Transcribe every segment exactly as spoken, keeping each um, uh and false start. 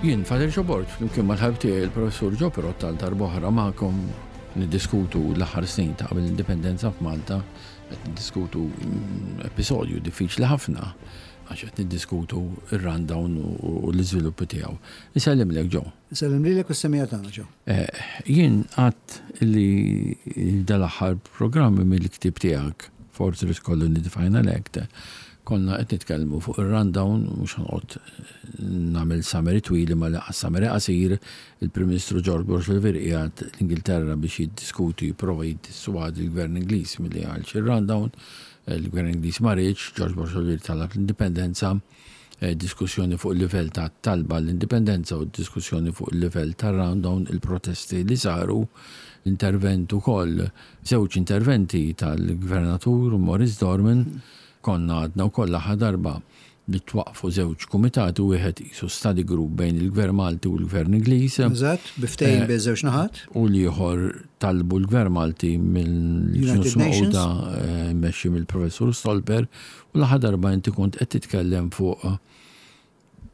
Jien Father Joe Borg, flimkien mal-ħabib tiegħi il-Professur Joe Perrotta, għal darb'oħra magħkom niddiskutu l-aħħar snin ta' qabel l-indipendenza f'Malta. Qed niddiskutu mm, episodju diffiċli ħafna għax qed niddiskutu ir-rundown u u l-iżviluppi tiegħu. Insellimlek, Joe. Sellem lilek u s-semmiegħa tagħna, Joe. Eh, Jien għedt li dal-aħħar programmi mill-ktib tiegħek, Fortress Colony The Final Act, konna qed nitkellmu fuq ir-rundown. Mhux ħa noqgħod nagħmel summary twil, ma laqas summary qasir. Il-Prim Ministru George Borg Olivier qiegħed l-Ingilterra biex jiddiskuti, jipprova jiddissuadi l-Gvern Ingliż milli għal ir-rundown. Il-Gvern Ingliż ma riedx, George Borg Olivier talab l-indipendenza, eh, diskussjoni fuq il-livell ta' talba l-indipendenza u diskussjoni fuq il-livell ta' rundown, il-protesti li saru, l-intervent ukoll, żewġ interventi tal-Gvernatur Maurice Dorman. Konna għedna wkoll l-aħħar darba li twaqfu żewġ kumitati, wieħed qisu study group bejn il-Gvern Malti u l-Gvern Ingliż. Eżatt, bi ftehim bejn żewġ naħat. U l-ieħor talbu l-Gvern Malti mill-Ġnus United Nations. Magħquda, eh, mmexxi mill-Professur Stolper. U l-aħħar darba inti kont qed titkellem fuq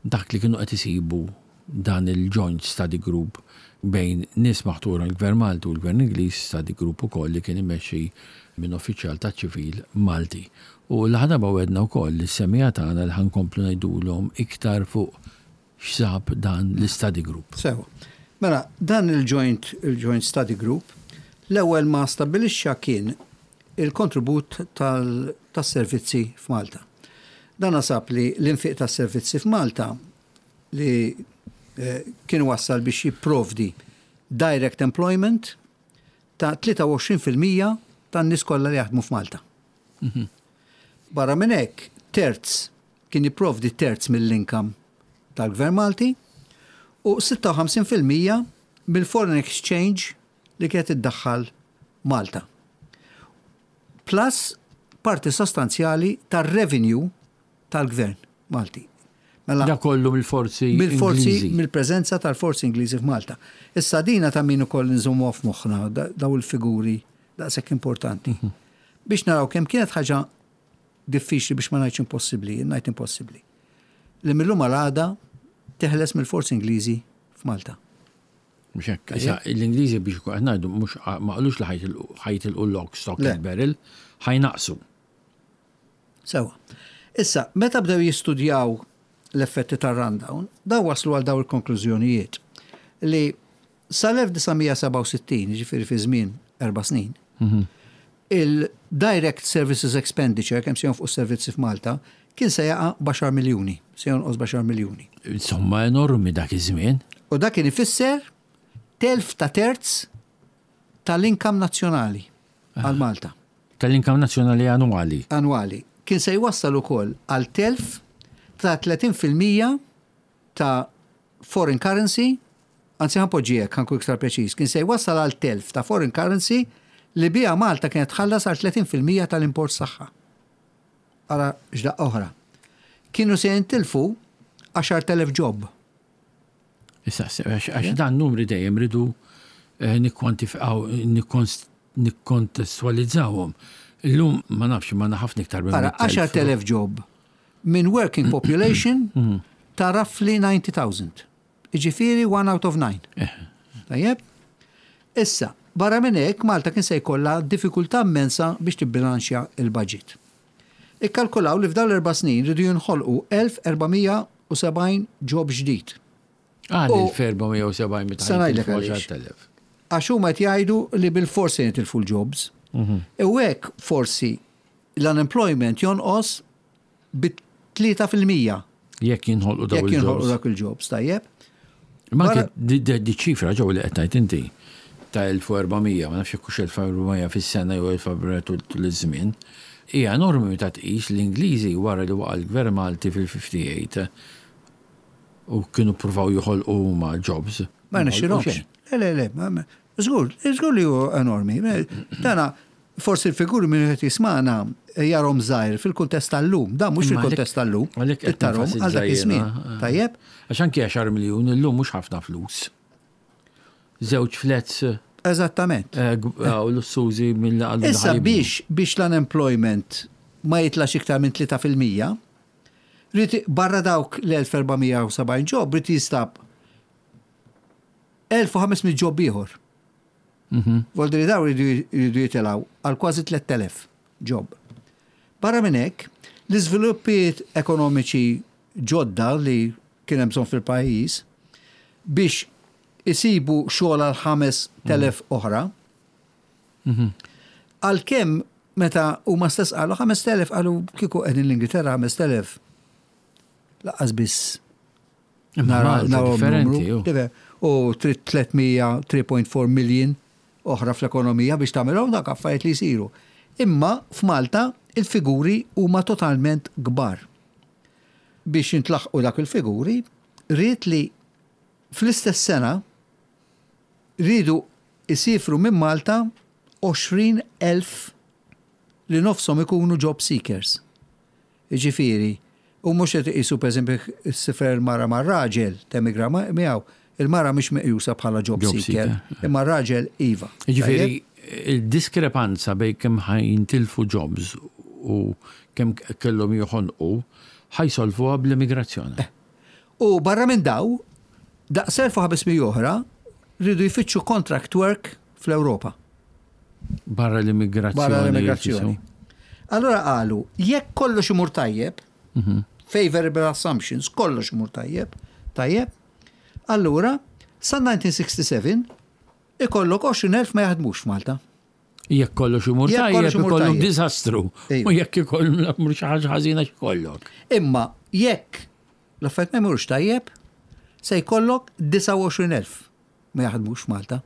dak li kienu qed isibu dan il-Joint Study Group bejn nies maħtura l-Gvern Malti u l-Gvern Ingliż, study group ukoll li kien imexxi minn uffiċjal ta' ċivil Malti. U l-aħħar darba wegħedna wkoll li s-semmiegħa tagħna li ħa nkomplu ngħidulhom iktar fuq x'sab dan l-study group. Sewa. Mela, dan il-Joint il-Joint Study Group l-ewwel ma stabbilixxa kien il-kontribut tal- tas-servizzi f'Malta. Dan sab li l-infiq tas-servizzi f'Malta li eh, kien wassal biex jipprovdi direct employment ta' tlieta u għoxrin fil-mija tan-nies kollha li jaħdmu f'Malta. Barra minn hekk, terz kien jipprovdi terz mill-income tal-Gvern Malti u sitta u ħamsin fil-mija mill-foreign exchange li kienet iddaħħal Malta. Plus parti sostanzjali tar-revenue tal-Gvern Malti. Mela, Da kollu mill-forzi mill-forzi, Ingliżi. Mill-preżenza tal-forzi Ingliżi f'Malta. Issa dina ta' min ukoll nżommu f'moħħna da- daw il-figuri daqshekk importanti. Biex naraw kemm kienet ħaġa diffiċli, biex ma ngħidx impossibbli, ngħid impossibbli, li mill-lum għal għada teħles mill-forzi Ingliżi f'Malta. Mhux hekk. Issa l-Ingliżi, biex qed ngħidu, mhux ma qalux li ħa jitilqu lock, stock Le. and barrel, ħa jnaqqsu. Sewa. Issa, meta bdew jistudjaw l-effetti tar-rundown, daw waslu għal daw il-konklużjonijiet li sal-elf disa' mija sebgħa u sittin, ġifieri fi żmien erba' snin, il-Direct Services Expenditure, kemm se jonfqu servizzi f'Malta, kien se jaqa' b'għaxar miljuni, se jonqos b'għaxar miljuni. Insomma, enormi dak iż-żmien. U dak kien ifisser telf ta' terz tal-income nazzjonali għal Malta. Tal-income nazzjonali annwali. Annwali. Kien se jwassal ukoll għal telf ta' tletin fil-mija ta' foreign currency, anzi ħa npoġġi hekk, ħa nkun iktar preċiż, kien se jwassal għal telf ta' foreign currency li bija Malta kienet tħallas għal tletin fil-mija tal-import tagħha. Ara x'daqqa oħra. Kienu se jintilfu għaxart elef job. Issa, għax għax dan numri dejjem ridu eh, nikkwantifikaw, nikkontestualizzawhom. Illum ma nafx, ma ħafna iktar minn Ara, għaxart elef job minn working population ta' roughly disgħin elf. Iġifieri one out of nine. Tajjeb? Issa, barra minn hekk Malta kien se jkollha diffikultà immensa biex tibbilanċja il-budget. Ikkalkulaw li f'dawn l-erba' snin ridu jinħolqu elf erba' mija u sebgħin job ġdid. Għal U- il-erba' mija u sebgħin meta Sa ngħidlek għaliex. għaxart elef. Għax huma qed jgħidu li bil-forsi jitilfu l-jobs. U hekk forsi l-unemployment jonqos bi tlieta fil-mija Jekk jinħolqu daw jekk jinħolqu il-jobs. dak il-jobs, tajjeb? Ma Barra- anke di di- di ċifra ġew li qed tgħid inti ta' elf u erba' mija, ma nafx jekk hux elf u erba' mija fis-sena jew elf u erba' mija tul tul iż-żmien, hija enormi meta tqis l-Ingliżi wara li waqa' l-Gvern Malti fil-ħamsa u ħamsin u kienu pruvaw joħolqu huma jobs. Ma ħolqu nexxilhomx. xejn. Le, le, le, ma- ma- żgur, żgur li hu enormi. Dana, forsi l-figuri minn qed jismana jarahom żgħir fil-kuntest tal-lum, da mhux Imma fil-kuntest tal-lum, għalhekk qed tarahom għal dak nenfasizza iż-żmien. jiena. Tajjeb? Għax anke għaxar miljun illum mhux ħafna flus. Żewġ flats Eżattament. eh, g- eh, u lussużi mill għallu Issa biex biex l-unemployment ma jitlax iktar minn tlieta fil-mija, rrid barra dawk l-elf erba' mija u sebgħin job, rrid jinstab elf u ħames mitt job ieħor. Mhm. Voldiri daw jridu jitilgħu għal kważi tlett elef job. Barra minn hekk, l-iżviluppi ekonomiċi ġodda li kien hemm bżonn fil-pajjiż biex isibu xogħol għal ħamest elef oħra. Mhm. Għalkemm meta huma stess qalu ħamest elef, qalu kieku qegħdin l-Ingilterra ħamest elef lanqas biss Imma Malta naraw differenti, numru. ju. Diver- U tliet mija, tlieta punt erba' million oħra fl-ekonomija biex tagħmelhom dak affarijiet li jsiru. Imma f'Malta il-figuri huma totalment kbar. Biex jintlaħqu dak il-figuri, rrid li fl-istess sena rridu isifru minn Malta għoxrin elf li nofshom ikunu job seekers. Jiġifieri, u mhux qed iqisu, pereżempju, ssiefer mara ma' raġel temigra ma- miegħu, il-mara mhix meqjusa bħala job Job seeker, seeker. imma raġel iva. Jiġifieri, il-diskrepanza bejn kemm ħa jintilfu jobs u kemm kellhom joħonqu ħa jsolvuha bl-immigrazzjoni. U barra minn daw, daqs elf u ħames mija oħra rridu jfittxu contract work fl-Ewropa. Barra l-immigrazzjoni. Barra l-immigrazzjoni. Allora qalu, jekk kollox imur tajjeb, Mhm. favorable assumptions, kollox imur tajjeb, tajjeb, allura sa elf disa' mija u sitta u sebgħin ikollok għoxrin elf ma jaħdmux f'Malta. Jekk kollox imur Jekk kollox tajjeb, imur ikollok tajjeb. diżastru. Ejwa. U jekk ikollok mur xi ħaġa ħażina x'ikollok. Imma jekk l-affarijiet ma jmurux tajjeb, se jkollok disgħa u għoxrin elf ma jaħdmux f'Malta.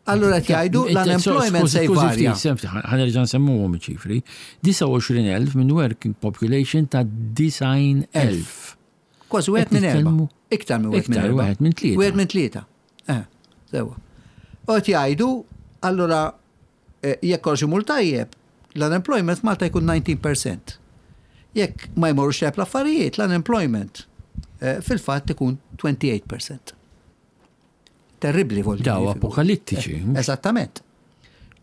Allura qed jgħidu l-unemployment se jvarja. Ħa nerġa' nsemmuhom iċ-ċifri. disgħa u għoxrin elf minn working population ta' disgħin elf. Kważi wieħed minn erba'. Nitkellmu- Iktar minn wieħed minn Iktar erba'. wieħed minn tlieta. Wieħed minn tlieta. Eh, sewa. U qed jgħidu, allura eh, jekk kollox imur tajjeb, l-unemployment Malta jkun disa tnax fil-mija. Jekk ma jmorrux tajjeb l-affarijiet, l-unemployment eh, fil-fatt ikun tmien u għoxrin fil-mija. Terribli vol. Daw apokalittiċi. Eh, Eżattament.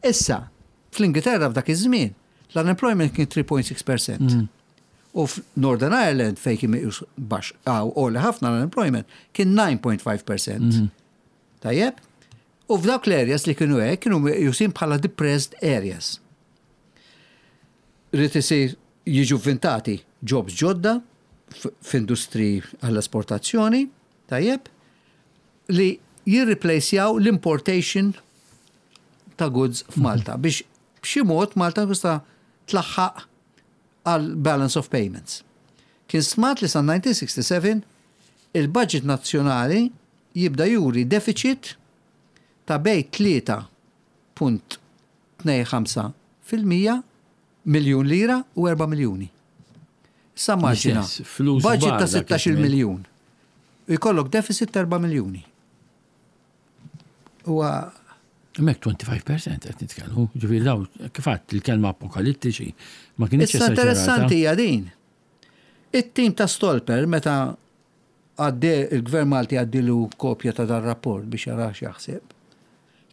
Issa, fl-Ingilterra f'dak iż-żmien, l-unemployment kien tlieta punt sitta fil-mija. Mm. U f'Northern Ireland fejn kien meqjus baxx għaw għoli ħafna l-unemployment kien disa punt ħamsa fil-mija. Mm. Tajjeb? U f'dawk l-areas li kienu hekk kienu meqjusin bħala depressed areas. Rrid isir jiġu vintati jobs ġodda f- f'industri għall-esportazzjoni, tajjeb, li jirreplacejaw l-importation ta' goods f'Malta biex b'xi mod Malta tista' tlaħħaq għal balance of payments. Kien stmat li sa elf disa' mija u sitta u sebgħin il-budget nazzjonali jibda juri deficit ta' bejn tlieta punt tnejn ħamsa fil-mija miljun lira u erba' miljuni. Sa immaġina, L-istess, flus budget kbar ta' dak sittax-il iż-żmien. miljun. Jkollok deficit ta' erba' miljuni. Huwa Mek ħamsa u għoxrin fil-mija qed nitkellmu. Ġifieri daw kif għedt il-kelma apokalittiċi ma kienx Issa interessanti hija din. It-tim ta' Stolper meta għadde il-Gvern Malti għaddilu kopja ta' dar rapport biex jara x'jaħseb,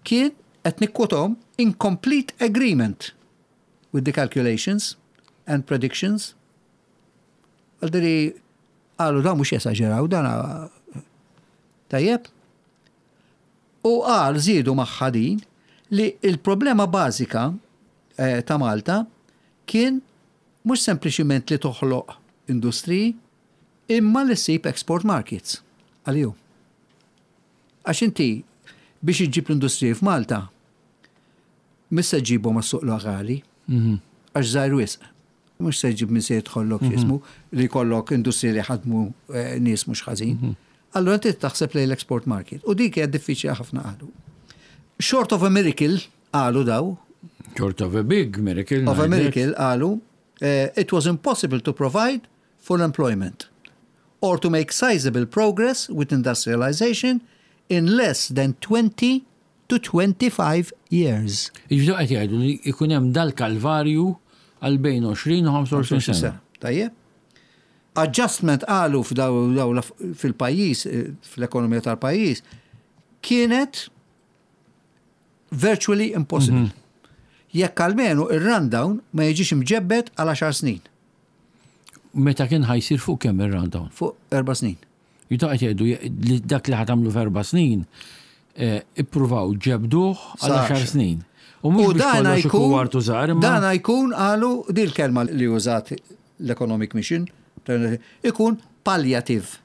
kien qed nikkwotom "in complete agreement with the calculations and predictions". Għaldiri qalu da mhux jesaġeraw dan tajjeb. U qal żiedu magħha din li il-problema bażika eh, ta' Malta kien mhux sempliċiment li toħloq industriji imma li ssib export markets għaliju. Għax inti biex iġġib l-industriji f'Malta, mhux se ġġibhom għas-suq lokali, Mhm. għax żgħir wisq. Mhux se ġib minn se jidħollok x'ismu li jkollok industriji li ħadmu eh, nies mhux ħażin. Allura inti taħseb lejn l-export market. U dik hija diffiċli ħafna qalu. Short of a miracle qalu daw, Short of a big miracle. of a ngħidlek. miracle qalu, eh, it was impossible to provide full employment or to make sizable progress with industrialization in less than twenty to twenty-five years. Jiġifieri qed jgħidu li jkun hemm dal-kalvarju għal bejn għoxrin u ħamsa u għoxrin sena. Tajjeb. Adjustment qalu f'daw daw l- fil-pajjiż, eh, fl-ekonomija tal-pajjiż, kienet virtually impossible. Jekk almenu ir-rundown ma jiġix imġebbed għal għaxar snin, Meta kien ħa jsir fuq kemm ir-rundown? Fuq erba' snin. Jita qed jgħidu li dak li ħa tagħmlu f'erba' snin, eh, ippruvaw ġebduh għal għaxar snin. U mhux biex dana kollox ikun wartu żgħar, imma dana jkun qalu dil-kelma li użat l-Economic Mission, ikun palliative.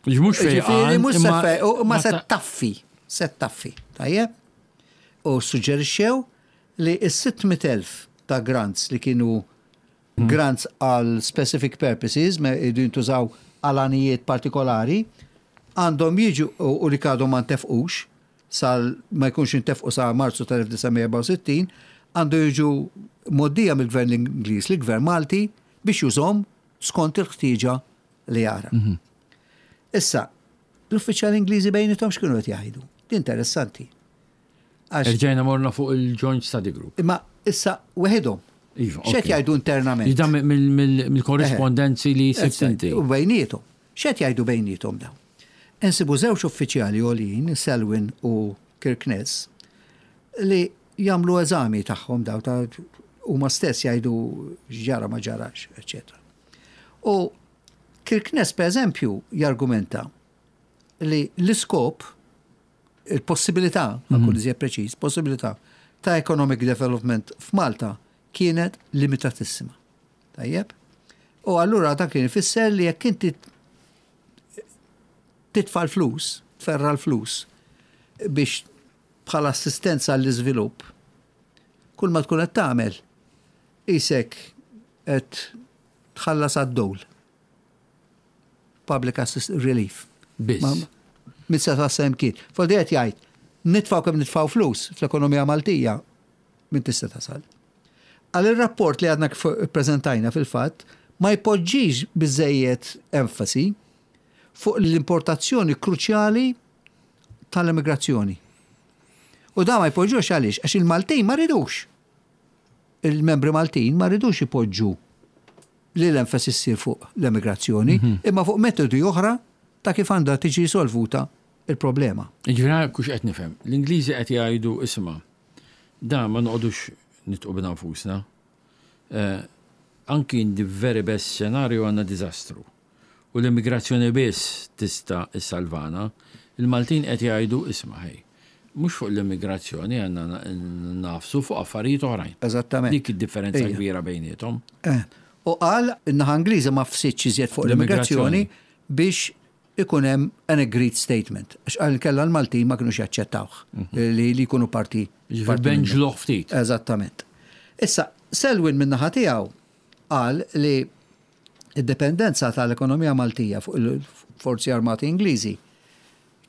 Mhux Ġifieri fejqan, mhux se imma- fe- u ma se ta- taffi, se taffi, tajjeb? U suġġerixxew li s-sitt mitt elf ta' grants li kienu grants għal specific purposes, ma jridu jintużaw għal għanijiet partikolari, għandhom jiġu u u li għadhom ma ntefqux, sal ma jkunx intefqu sa Marzu tal-elf disa' mija erbgħa u sittin, għandu jiġu mgħoddija mill-Gvern Ingliż li gvern Malti biex jużahom skont il-ħtieġa li jara. Issa, l-uffiċjali Ingliżi bejniethom x'kienu qed jgħidu? Di interessanti. Għax Erġajna morna fuq il-Joint Study Group. Imma issa weħidhom. Iva, X'qed ok. jgħidu internament? Jida mill-korrispondenzi li sibt inti. U bejniethom. X'qed jgħidu bejniethom dawn? Insibu żewġ uffiċjali għoljin, Selwyn u Kirkness, li jagħmlu eżami tagħhom daw ta' huma stess jgħidu x'ġara ma ġarax, eċetera. U Kirkness, per eżempju, jargumenta li l-iskop, il-possibilità, mm -hmm. iżjed preċiż, possibilità ta' economic development f'Malta kienet limitatissima. Tajjeb? U allura dan kien ifisser li jekk inti titfa' l-flus, tferra l-flus biex bħala assistenza għall-iżvilupp, kull ma tkun qed tagħmel isek qed tħallas għad-dole. Public assist relief. Biss. Ma- Min se tasal kien. Foldi qed jgħid, nitfaw kemm nitfaw flus fl-ekonomija Maltija, min tista' tasal. Għal il-rapport li għadna kif prezentajna fil-fatt, ma jpoġġix biżejjed enfasi fuq l-importazzjoni kruċjali tal-immigrazzjoni. U da ma jpoġġux għaliex, għax il-Maltin ma ridux. Il-membri Maltin ma ridux ipoġġu li l-enfasi ssir fuq l-immigrazzjoni, imma fuq metodi oħra ta' kif għandha tiġi solvuta il-problema. Ġifieri kux qed nifhem. L-Ingliżi qed jgħidu, isma', da ma noqogħdux nidħqu bina nfusna. Eh, Anki in the very best scenario għandna diżastru. U l-immigrazzjoni biss tista' issalvana. Il-Maltin qed jgħidu, isma' ħej. Mhux fuq l-immigrazzjoni għandna nagħfsu, fuq affarijiet oħrajn. Eżattament. Dik id-differenza Ejja. kbira bejniethom. Eh, U qal in-naħa Ingliża ma għafsitx iżjed fuq l-immigrazzjoni biex ikun hemm an agreed statement. Għax qal kella l-Maltin ma kinux jaċċettawh li li jkunu parti. Ġifieri parti minnu. benġluħ ftit. Eżattament. Issa, Selwyn min-naħa tiegħu qal li id-dependenza tal-ekonomija Maltija fuq il-Forzi Armati Ingliżi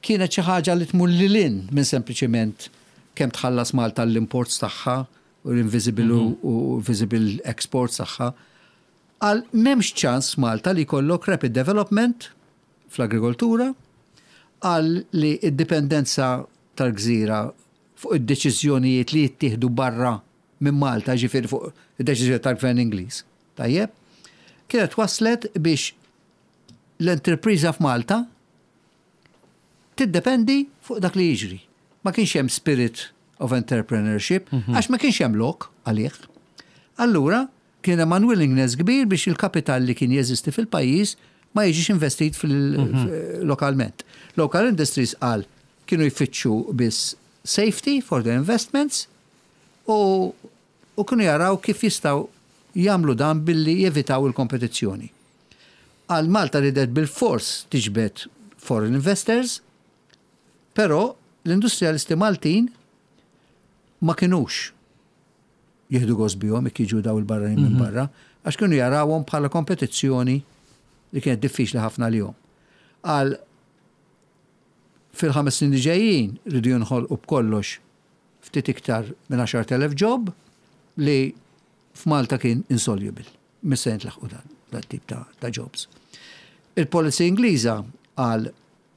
kienet xi ħaġa li tmur lil hinn minn sempliċiment kemm tħallas Malta l-imports tagħha u l-invisible u visible exports tagħha. Għal m'hemmx ċans Malta li jkollok rapid development fl-agrikoltura, għal li id-dipendenza tal-gżira fuq id-deċiżjonijiet li jittieħdu barra minn Malta, ġifieri fuq id-deċiżjoni tal-Gvern Ingliż. Tajjeb? Kienet waslet biex l-enterpriża f'Malta tiddependi fuq dak li jiġri. Ma kienx hemm spirit of entrepreneurship, għax ma kienx hemm lok għalih. Allura, kien hemm unwillingness kbir biex il-kapital li kien jeżisti fil-pajjiż ma jiġix investit fil-lokalment. Local industries qal kienu jfittxu biss safety for their investments u, u kienu jaraw kif jistgħu jagħmlu dan billi jevitaw il-kompetizzjoni. Għal Malta ridet bil-fors tiġbed foreign investors, però l-industrialisti Maltin ma kinux jieħdu gost bihom jekk jiġu daw il-barranin minn barra, għax kienu jarawhom bħala kompetizzjoni li kienet diffiċli ħafna lilhom. Għal fil-ħames snin li ġejjin ridu jinħolqu b'kollox ftit iktar minn għaxart elef job li f'Malta kien insoluble. Mhux se jintlaħqu dan, dan tip ta', ta' jobs. Il-policy Ingliża għal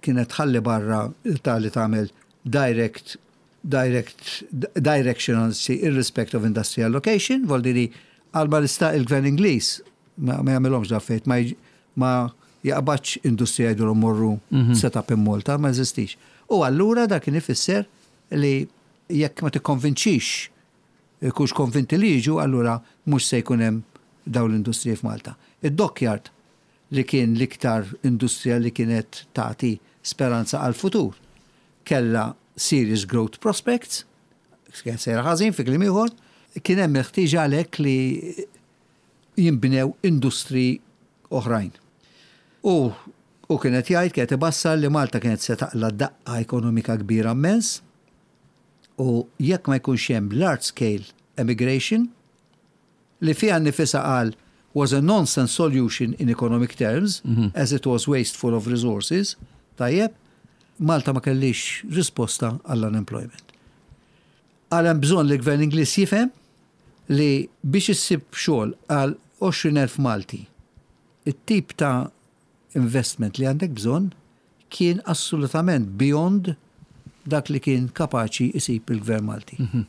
kienet tħalli barra ta' li tagħmel direct direct direction anzi irrespective of industrial location, vuol għal ma l-ista il-gvern Ingliż ma, ma jagħmilhomx da fejt, ma, jġ- ma jaqbadx industrija jgħidulhom morru set up in Malta, ma jeżistix. U allura dak kien ifisser li jekk ma tikkonvinċix kux konvinti li jiġu, allura mhux se jkun hemm dawn l-industriji f'Malta. Id-dockyard li kien l-iktar industrija li kienet tagħti speranza għal-futur, kella serious growth prospects, kien sejra ħażin fi kliem ieħor, kien hemm il-ħtieġa għalhekk li jinbnew industri oħrajn. U u kienet jgħid, kienet ibassar li Malta kienet se taqla daqqa ekonomika kbira immens u jekk ma jkunx hemm large scale emigration, li fiha nifisha qal was a nonsense solution in economic terms, mm -hmm. as it was wasteful of resources, tajjeb, Malta ma kellix risposta għall-unemployment. Għal hemm bżonn li gvern Ingliż jifhem li biex issib xogħol għal għoxrin elf Malti, it-tip ta' investment li għandek bżonn kien assolutament beyond dak li kien kapaċi isib il-gvern Malti. Mm -hmm.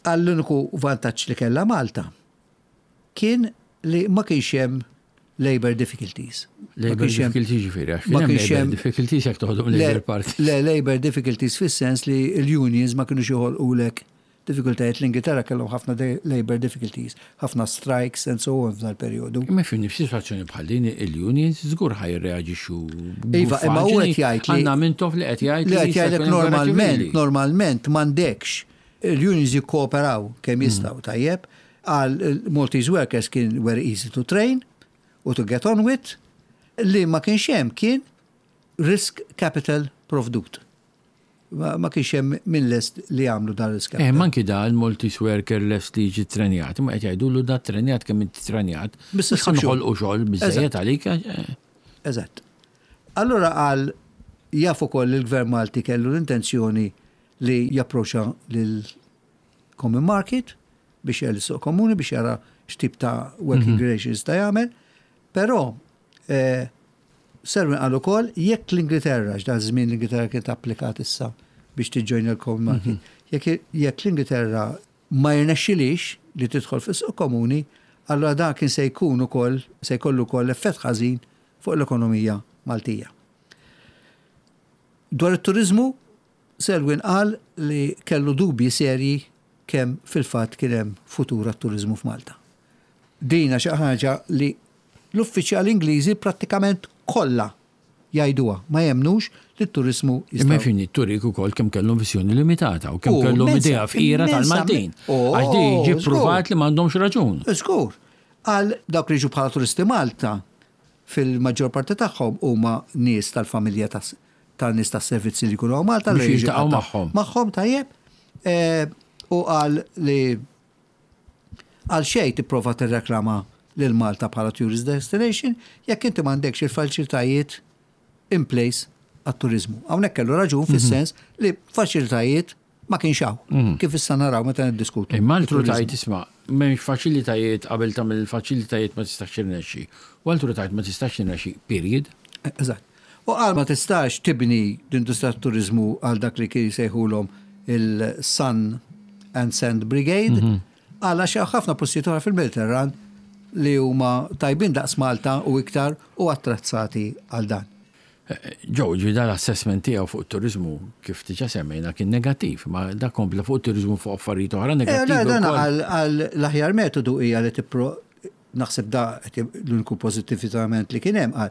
Għall-uniku vantaġġ li kella Malta kien li ma kienx hemm labor difficulties. Labor difficulties ġifieri, għax kien hemm labor difficulties jekk toħodhom Labor Party. Le, labor difficulties fis-sens li l-unions ma kienux joħolqulek difficultajiet. L-Ingilterra kellhom ħafna labor difficulties, ħafna strikes and so on f'dal periodu. Imma fin f'sitwazzjoni bħal din il-unions żgur ħa jirreaġixxu. Iva, imma hu qed jgħid li għandna Mintoff li qed jgħid li qed jgħidlek normalment, normalment m'għandekx il-unions jikkooperaw kemm jistgħu, tajjeb, għal Maltese workers kien very easy to train u to get on with. Li ma kienx hemm kien risk capital provdut. Ma, ma kienx hemm min lest li jagħmlu dan risk Eh, capital. Manki da il-Maltese worker lest li jiġi trenjat, ma qed jgħidulu da trenjat kemm inti trenjat. Biss Mhux issib xogħol. ħanħolqu xogħol biżejjed għalik. eh, Eżatt. Allura qal jaf ukoll li l-Gvern Malti kellu l-intenzjoni li japproċċa lil Common Market biex jgħal suq komuni biex jara x'tip ta' working mm -hmm. relations ta' jagħmel, però eh, Selwyn qal ukoll jekk l-Ingilterra, x'dan żmien l-Ingilterra kienet applikat issa biex tiġġojna l-Common Market, jekk jekk l-Ingilterra ma jirnexxilix li tidħol fis-suq komuni, allura dan kien se jkun ukoll se jkollu wkoll effett ħażin fuq l-ekonomija Maltija. Dwar it-turizmu, Selwyn qal li kellu dubji serji kemm fil-fatt kien hemm futur għat-turizmu f'Malta. Dina xi ħaġa li l-uffiċjali Ingliżi prattikament kollha jgħiduha, ma jemnux li t-turizmu Imma jista' fini turik ukoll kemm kellhom viżjoni limitata u kemm U, kellhom immensa, idea fqira immensa, tal-Maltin. Oh, Għax di ġi żgur. pruvat li m'għandhomx raġun. Żgur. Għal dawk li ġu bħala turisti Malta, fil-maġġor parti tagħhom huma nies tal-familja tas- tan-nies tas-servizzi li jkunu Malta. Biex li jiġu jiltaqgħu qatta- magħhom. Magħhom, tajjeb. Eh, U qal li għal xejn tipprova tirreklama lil Malta bħala tourist destination jekk inti m'għandekx il-faċilitajiet in place għat-turizmu. Hawnhekk kellu raġun fis-sens li faċilitajiet ma kienx hawn. Kif issa naraw meta niddiskutu. Imma altru it-turizmu. tajt isma', m'hemmx faċilitajiet, qabel tagħmel il-faċilitajiet ma tistax tirnexxi. U altru tajt ma tistax tirnexxi, period. Eżatt. U qal ma tistax tibni l-industrija turizmu għal dak li kien jsejħulhom il-Sun and Sand Brigade, għal għax hawn ħafna postijiet oħra fil-Mediterran li huma tajbin daqs Malta u iktar u attrezzati għal dan. Ġew, ġi dal-assessment tiegħu fuq it-turizmu, kif diġà semmejna, kien negattiv, ma da kompla fuq it-turizmu fuq affarijiet oħra Eh, le, negattiv dan ukoll. għal għal l-aħjar metodu hija li tippro naħseb da qed l-uniku pozittivament li kien hemm, qal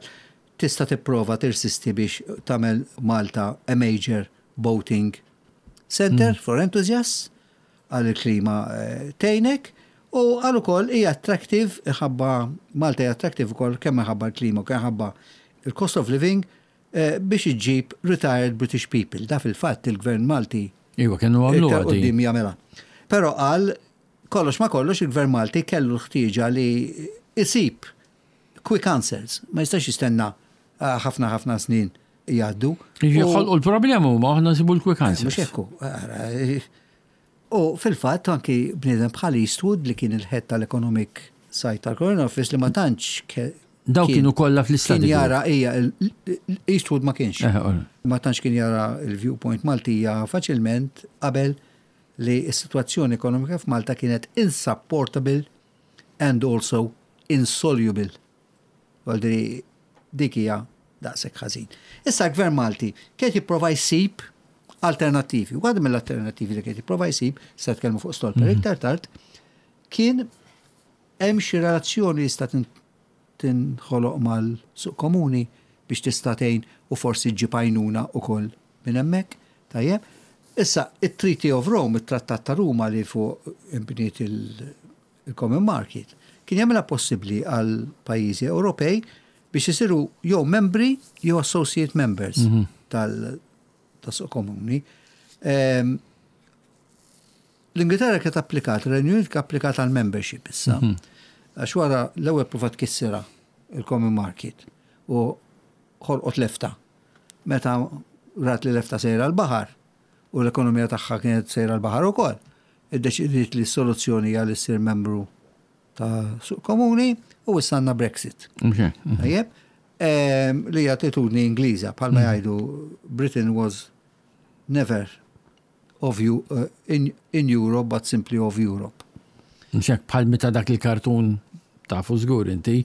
tista' tipprova tirsisti biex tagħmel Malta a major boating center for enthusiasts, għal il-klima eh, tgħinek u għal ukoll hija attractive ħabba Malta hija attractive ukoll kemm ħabba l-klima u kemm ħabba il-cost of living eh, biex iġġib retired British people. Da fil-fatt il-gvern Malti Iva, kienu għamlu iktar għadi. quddiem jagħmilha. Però qal kollox ma kollox il-gvern Malti kellu l-ħtieġa li isib quick answers, ma jistax jistenna eh, ħafna ħafna snin jgħaddu. Jiġi U- ħolqu l-problema huma, aħna nsibu l-quick answers. Mhux hekk hu, ara, eh, U fil-fatt anki bniedem bħal Eastwood li kien il-head tal-Economic Side tal-Colonial Office li ma tantx ke- Daw kien- kienu kollha fl-istadi Kien jara hija Eastwood ma kienx. Eh, ora. Ma tantx kien jara il-viewpoint Maltija faċilment qabel li s-sitwazzjoni ekonomika f'Malta kienet insupportable and also insoluble. Għaldiri dik hija daqshekk ħażin. Issa l-Gvern Malti kien jipprova jsib alternattivi. U għad mill-alternattivi li kien jipprova jsib, se tkellmu fuq Stolper iktar tard, kien hemm xi relazzjoni li jista' tin- Tinħoloq mal-suq komuni biex tista' tgħin u forsi ġġib għajnuna wkoll minn hemmhekk. Tajjeb. Issa, it-Treaty of Rome, it-Trattat ta' Ruma li fuq imbniet il-Common Market, kien jagħmilha possibbli għal pajjiżi Ewropej biex isiru jew membri jew associate members mhm. tal-suq komuni. Ehm, L-Ingilterra kienet applikat, il-Renju Unit applikat għal membership issa. Mhm. Għax wara l-ewwel provat tkissirha il-Common Market u ħolqot l-EFTA. Meta rat li l-EFTA sejra l-baħar u l-ekonomija tagħha kienet sejra l-baħar ukoll, iddeċidiet li s-soluzzjoni hija li ssir membru ta' suq komuni u issa għandna Brexit. Tajjeb, li hija attitudni Ingliża, bħalma mhm. jgħidu, "Britain was never of you, uh, in, in Europe, but simply of Europe." Mxek bħal meta dak il-kartun, tafu żgur inti,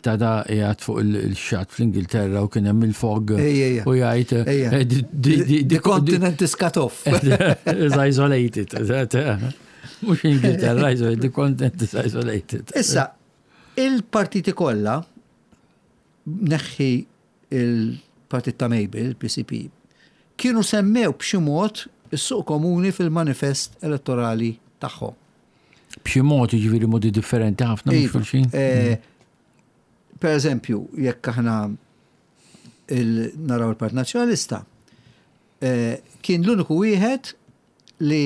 ta' da qiegħed fuq il-xatt fl-Ingilterra u kien hemm il-fog u jgħid eh, "The continent is cut off." Is isolated. Mhux Ingilterra, the continent is isolated. Issa, il-partiti kollha, neħħi il-partit ta' Mabel, il-P C P, kienu semmew b'xi mod is-suq komuni fil-manifest elettorali tagħhom. B'xi mod, jiġifieri modi differenti ħafna minn Iva, xulxin. Eh, per eżempju, jekk aħna il- naraw il-Partit Nazzjonalista, eh, kien l-uniku wieħed li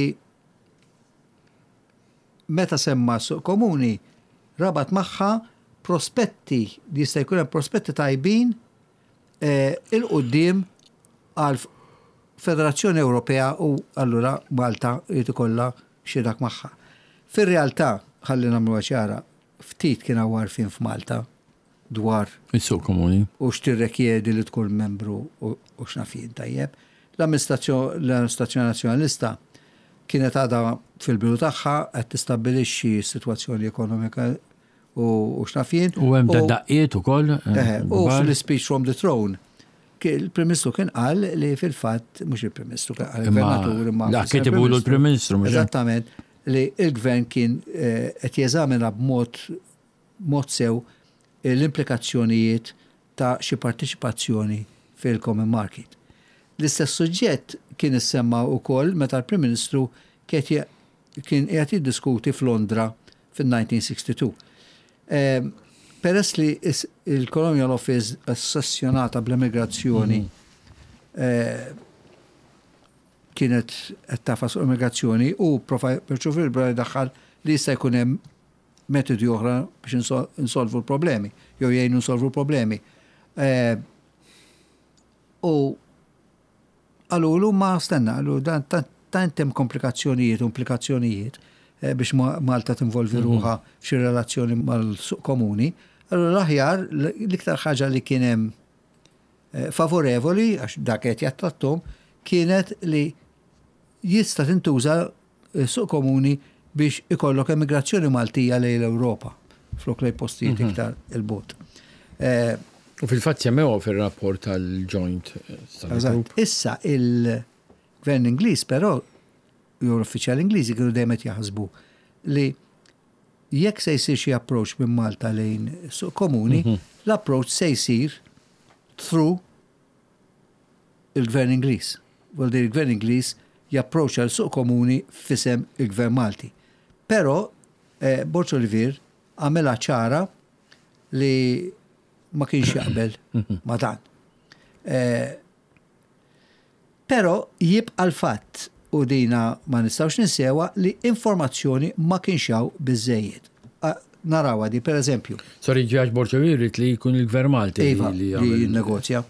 meta semma suq komuni rabat magħha prospetti li jista' jkun hemm prospetti tajbin eh, 'il quddiem għal Federazzjoni Ewropea u allura Malta jrid ikollha xi dak magħha. Fir-realtà, ħalli nagħmluha ċara, ftit kien hawn għarfien f'Malta dwar Is-suq komuni. u x'tirrekjedi li tkun membru u u x'naf jien, tajjeb. L-amministrazzjoni l-amministrazzjoni nazzjonalista kienet għadha fil-bidu tagħha, qed tistabbilixxi s-sitwazzjoni ekonomika u u x'naf jien. U hemm da daqqiet ukoll. Eħe, u fil-speech from the throne, ki- il-Prim Ministru kien qal li fil-fatt, mhux il-Prim Ministru, kien qal il-Gvernatur imma La fis-sena kitibulu l-Prim Ministru, mhux hekk? Eżattament, li il-Gvern kien eh, qed jeżamina b'mod mod sew l-implikazzjonijiet ta' xi partiċipazzjoni fil-Common Market. L-istess suġġett kien issemma wkoll meta l-Prim Ministru kien kien qiegħed jiddiskuti f'Londra fil-elf disa' mija u sitta u sittin. Ehm, Peress li is- il-Colonial Office ossessjonata bl-immigrazzjoni eh, kienet qed tagħfas fuq immigrazzjoni u prova perċu daħħal li jista' jkun hemm metodi oħra biex insol- insolvu l-problemi, jew jgħinu insolvu l-problemi. Eh, U qalulu, ma stenna, qalu dan tant hemm komplikazzjonijiet u implikazzjonijiet eh, biex Ma- Malta tinvolvi ruħha f'xi relazzjoni mal-suq komuni. Allura l-aħjar, l-iktar ħaġa li kien hemm eh, favorevoli, għax dak qed jattrattom, kienet li jista' tintuża eh, suq komuni biex ikollok emigrazzjoni Maltija lejn l-Ewropa, flok lejn postijiet iktar 'il bogħod. Eh, U fil-fatt semmew fil-rapport tal-Joint Study Eżatt. Group. Issa il-gvern Ingliż però, jew l-uffiċjali Ingliżi, kienu dejjem qed jaħsbu li jekk se jsir xi approach minn Malta lejn suq komuni, l-approach se jsir through il-gvern Ingliż. Vuol dire il-gvern Ingliż japproċċa l-suq komuni f'isem il-gvern Malti. Però eh, Borg Olivier għamela ċara li ma kienx jaqbel ma dan. Eh, Però jibqa l-fatt, u dina ma nistgħux ninsewha, li informazzjoni ma kienx hawn biżejjed. Narawha di, per eżempju, Sorry, ġaġ Borg Olivier li jkun il-Gvern Malti Iva, li li jagħmel- jinnegozja.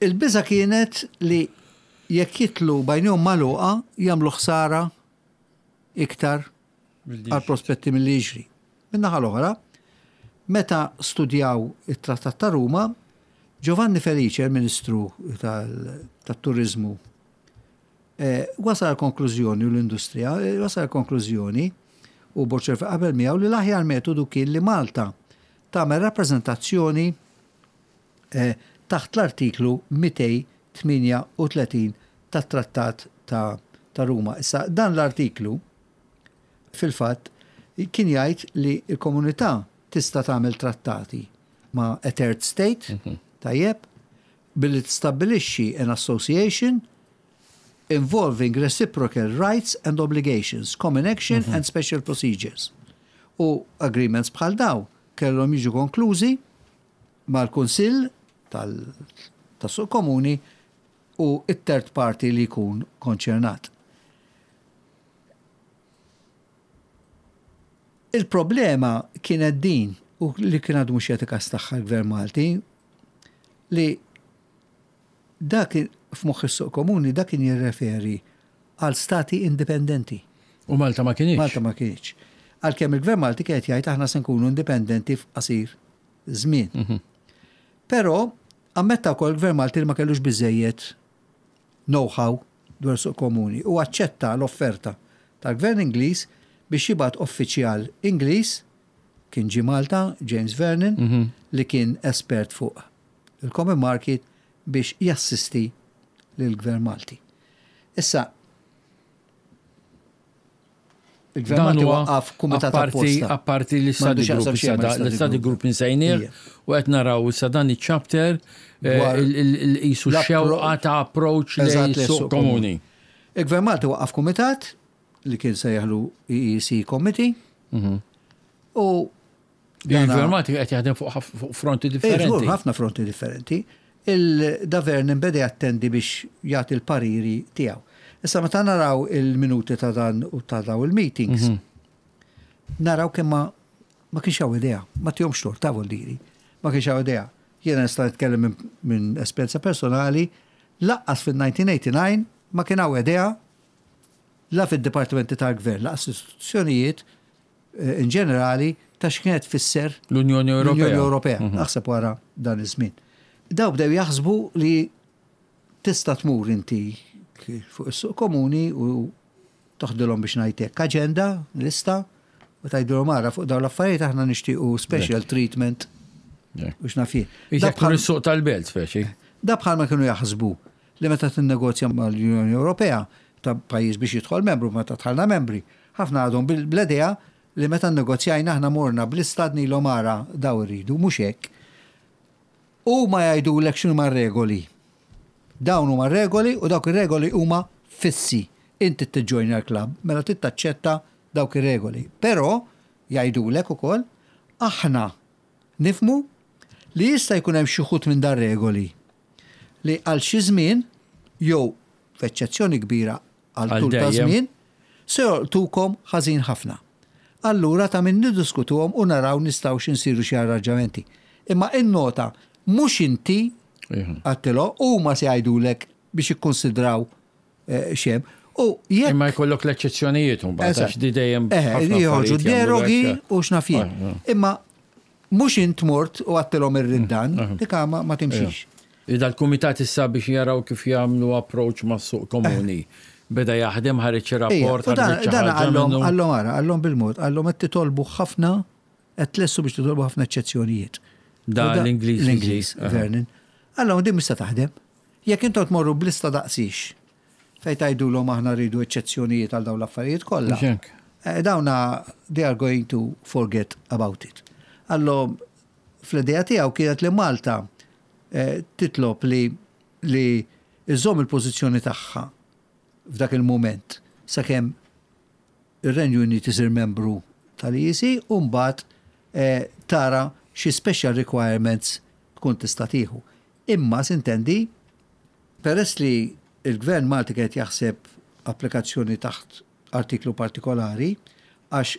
Il-biża kienet li jekk jitilgħu b'għajnejhom magħluqa jagħmlu ħsara iktar għal prospetti mill-li jiġri. Min-naħa l-oħra, meta studjaw it-Trattat ta' Ruma, Giovanni Felice, il-Ministru tal-Turizmu, eh, wasal għal konklużjoni u l-industrija, eh, wasal għal konklużjoni u Borg qabel miegħu li l-aħjar metodu kien li Malta tagħmel rappreżentazzjoni eh, taħt l-artiklu mitejn u tmienja u tletin tat-Trattat ta', ta' Ruma. Issa dan l-artiklu fil-fatt kien jgħid li l-komunità tista' tagħmel trattati ma' a third state, tajjeb, billi tistabbilixxi an association involving reciprocal rights and obligations, common action and special procedures. U agreements bħal daw kellhom jiġu konklużi mal-Kunsill tas-Suq Komuni u it-third party li jkun konċernat. Il-problema kienet din, u li kien għadu mhux jagħti kas tagħha l-Gvern Malti, li dak f'moħħ is-suq komuni dak kien jirreferi għal stati indipendenti. U Malta ma kienx. Malta ma kienx. Għalkemm il-Gvern Malti kien jgħid aħna se nkunu indipendenti f'qasir żmien. Mhm. Però ammetta wkoll il-Gvern Malti li ma kellux biżejjed know-how dwar suq komuni u aċċetta l-offerta tal-Gvern Ingliż biex jibgħat uffiċjal Ingliż kien ġie Malta, James Vernon, mhm. li kien espert fuq il-Common Market biex jassisti lill-Gvern Malti. Issa, il-Gvern Malti waqqaf kumitat apposta. Apparti l-study group, l-study group insejnieh u qed naraw issa dan iċ-chapter il-qisu xewqa ta' approach lejn suq komuni. Il-Gvern Malti waqqaf kumitat li kien sejjaħlu E E C Committee mhm. u Il-Gvern Malti qed jaħdem fuq fronti differenti. Ħafna fronti differenti. Il-da Vernon beda jattendi biex jagħti l-pariri tiegħu. Issa meta naraw il-minuti ta' dan u ta' daw il-meetings, mhm. naraw kemm ma, ma kienx hawn idea, ma tihomx tort ta' vuol diri, ma kienx hawn idea. Jiena nista' nitkellem minn, minn esperjenza personali, laqqas fil-nineteen eighty-nine ma kien hawn idea la fid-dipartimenti tal-gvern, laqqas istituzzjonijiet, eh, in ġenerali ta' x'kienet tfisser l-Unjoni Ewropea. L-Unjoni Ewropea. Mhm. Naħseb wara dan iż-żmien. Daw bdew jaħsbu li tista' tmur inti fuq is-suq komuni u toħdilhom biex ngħidlek aġenda, lista, u tgħidilhom ara fuq dawn l-affarijiet aħna nixtiequ special Yeah. treatment. Yeah. U x'naf jien. Issa Da jkun bħal is-suq tal-belt speċi. Da bħal ma kienu jaħsbu li meta tinnegozja mal-Unjoni Ewropea ta' pajjiż biex jidħol membru, meta dħalna membri, ħafna għadhom bil-, bl-idea li meta nnegozjajna aħna morna bl-istat nilhom ara daw irridu, mhux hekk. U ma jgħidulek x'inhuma r-regoli. Dawn huma regoli u dawk ir-regoli huma fissi. Inti tiġġojna l-klabb, mela trid taċċetta dawk ir-regoli. Però jgħidulek ukoll aħna nifmu li jista' jkun hemm xi wħud minn dar regoli li għal xi żmien jew f'eċċezzjoni kbira għal Għal tul ta' dejjem. żmien se jolqtukom ħażin ħafna. Allura ta' min niddiskutuhom u naraw nistgħux insiru xi arranġamenti. Imma innota mhux inti Iħu. għattilhom huma se jgħidulek biex jikkonsidraw, eh, xem. U jekk Imma jkollok l-eċċezzjonijiet imbagħad, Eżatt. għax di dejjem Eh, ħafna joħorġu affarijiet jagħmlu derogi hekk. u x'naf jien. Ah, ah. Imma mhux int mort u għattilhom ir-riddan, Mm, dik ma, ma timxix. Ida l-kumitat issa biex jaraw kif jagħmlu approach mas-suq komuni. Beda jaħdem, ħareġ Ejja, rapport, u dan, ħareġ xi dan ħaġa għallhom, minnu. għallhom ara, għallhom bil-mod, għallhom qed titolbu ħafna, qed tlessu biex titolbu ħafna eċċezzjonijiet. Da U da l-Ingliż l-Ingliż, jiġi, aha. Vernon. Għallhom din mista taħdem. Jekk intom tmorru blista daqsix, fejn tgħidulhom aħna rridu eċċezzjonijiet għal dawn l-affarijiet kollha. Mhux hekk. Eh, dawna they are going to forget about it. Għallhom fl-idea tiegħu kienet li Malta, eh, titlob li, li iżżomm il-pożizzjoni tagħha f'dak il-mument sakemm ir-Renju Unit isir membru tal-E E C u mbagħad, eh, tara xi special requirements tkun tista' tieħu. Imma sintendi, peress li il-Gvern Malti qed jaħseb applikazzjoni taħt artiklu partikolari, għax